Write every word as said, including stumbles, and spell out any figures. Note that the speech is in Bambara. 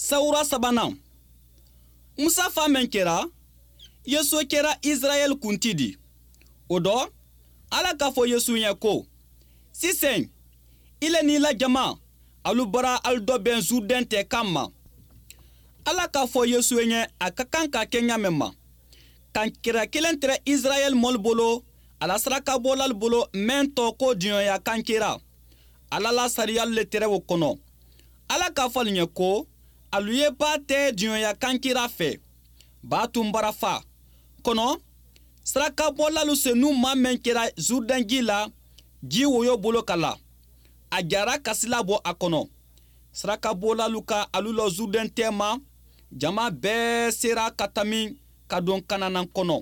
Sawura sabanan, Musa fa mɛn kɛra, Yesu kɛra Israɛl kunti di. O dɔ, Ala k'a fɔ Yesu ɲɛ ko: Sisan, ile n'i la jama, alu bara alu dɔbɛn Zurdɛn tɛ kan ma. Ala k'a fɔ Yesu ɲɛ a ka kan ka kɛ ɲa mɛn ma. Kankira kelen tɛrɛ Israɛl mɔlu bolo, a la sarakabɔlalu bolo mɛn tɔ ko diɲɔya kankira. Ala la sariyalu le tɛrɛ o kɔnɔ. Ala k'a fɔ alu ɲɛ ko alu ye ba tɛ diɲɔya kankira fɛ. Ba tun bara fa. Kɔnɔ, sarakabɔlalu senu maa mɛn kɛra Zurdɛn ji la, ji woyo bolo ka la. A jara kasila bɔ a kɔnɔ. Sarakabɔlalu ka alu lɔ Zurdɛn tɛ ma, jama bɛɛ sera ka tami ka don Kananan kɔnɔ.